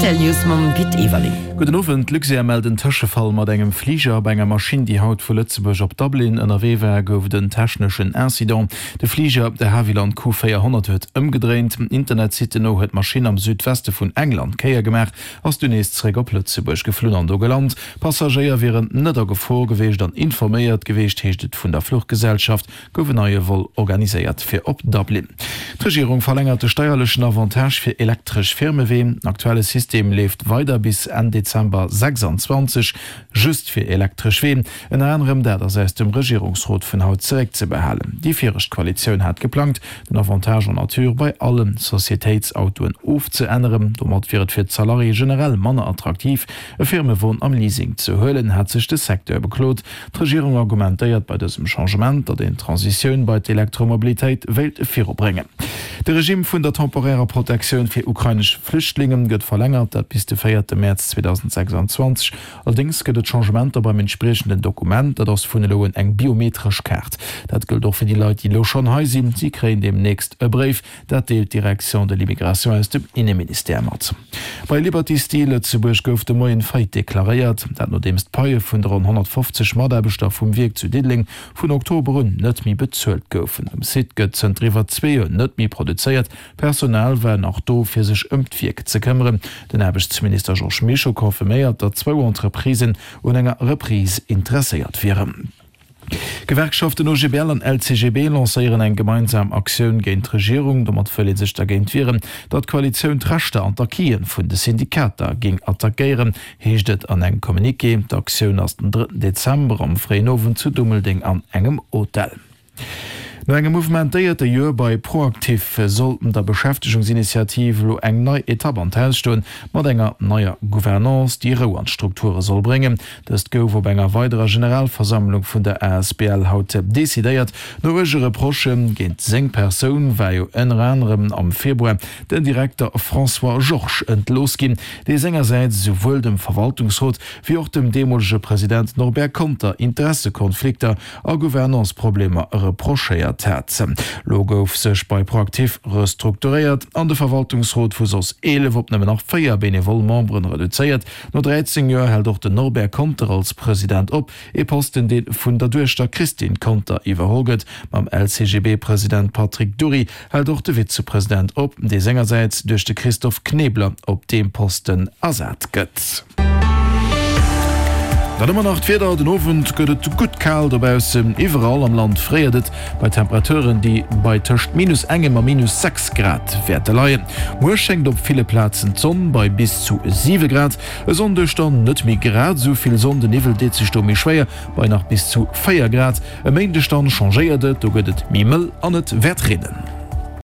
Rtl News mam Pit Everling. Gudden Owend. D'Luxair mellt en Tëschefall mat engem Fliger. Bei enger Maschinn, déi haut vu Lëtzebuerg op Dublin ënnerwee war, gouf et en techneschen Incident. De Fliger, de Havilland Q400, huet ëmgedréint. Internetsitten no huet d'Maschinn am Südweste vun England d'Kéier gemaach, ass dunn nees zeréck op Lëtzebuerg geflunn an do gelant. Passagéier wieren net a Gefor geweecht an informéiert geweecht, heescht et vun der Fluchgesellschaft. gouf en neie Vol organiséiert fir op Dublin. D'Regierung verlängert de steierlechen Avantage fir elektresch Firmeween. Den aktuelle System leeft weider bis Enn Dezember 26, just fir elektresch Ween. Ënner anerem dat ass aus dem Regierungsrot vun haut zeréckzebehalen. Déi viregt Koalitioun hat geplangt, den Avantage en nature bei alle Societéitsautoen ofzeänneren. Domat wier et fir d'Salariéë generell manner attraktiv, e Firmewon am Leasing ze huelen, hat sech de Secteur beklot. D'Regierung argumentéiert bei dësem Changement, datt een d'Transitioun bei d'Elektromobilitéit wéilt virubréngen. De Regime vun der temporärer Protektioun fir ukrainesch Flüchtlinge gëtt verlängert, dat bis de véierte Mäerz 2026. Allerdéngs gëtt et Changementer beim entspriechenden Dokument, dat ass vun elo un eng biometresch Kaart. Dat gëllt och fir déi Leit, déi elo schonn hei sinn. Si kréien deemnächst e Bréif, Dat deelt d'Direction de l'immigration aus dem Inneministère mat. Bei Liberty Steel Lëtzebuerg gouf de Moien Faillite deklaréiert. Dat nodeems d'Paie vun de ronn 150 Mataarbechter vum Wierk zu Diddeleng vun Oktober un net méi bezuelt goufen. Um Site gëtt zënter iwwer zwee Joer net méi produzéiert. D'Personal war nach do fir sech ëm d'Wierk ze këmmeren. Den Aarbechtsminister Georges Mischo confirméiert, datt zwou Entreprisen un enger Reprise interesséiert wieren. D'Gewerkschaften OGBL an LCGB lancéieren eng gemeinsam Aktioun géint d'Regierung. Domat wëll ee sech dergéint wieren, datt d'Koalitioun d'Rechter an d'Acquisen vun de Syndikater géing attackéieren, heescht et an engem Communiqué. D'Aktioun ass den drëtten Dezember am fréien Owend zu Dummeldeng an engem Hotel. No engem mouvementéierte Joer bei ProActif soll der Beschäftegungsinitiativ elo eng nei Etapp an d'Haus stoen, mat enger neier Gouvernance, déi Rou an d'Strukture soll bréngen. Dëst gouf op enger weiderer Generalversammlung vun der asbl haut decidéiert. No uerge Reprochë géint seng Persoun war jo ënner anerem am Februar den Direkter François Georges entlooss ginn, dee sengersäits esouwuel dem Verwaltungsrot wéi och dem deemolege President Norbert Conter Interessekonflikter a Gouvernance-Problemer reprochéiert hat. Lo gouf sech bei Proactif restrukturéiert an de Verwaltungsrot vu soss 11 op nëmmen nach 4 benevol Memberen reduzéiert. No 13 Joer hält och den Norbert Conter als President op, ee Posten dee vun der Duechter Christine Conter iwwerholl gëtt. Mam LCGB-President Patrick Dury hält och de Vizepresident op, dee sengersäits duerch de Christophe Knebler op deem Posten ersat gëtt. Dann hu mer nach d'Wieder, Den Owend gëtt et gutt kal dobaussen. Iwwerall am Land fréiert et bei Temperaturen, déi bei tëscht minus engem a minus 6 Grad wäerte leien. Muer schéngt op ville Plazen d'Sonn bei bis zu 7 Grad. E Sonndeg dann net méi grad esou vill Sonn, de Niwwel deet sech do méi schwéier bei nach bis zu 4 Grad. E Méindeg dann changéiert et, do gëtt et méi mëll an et wäert reenen.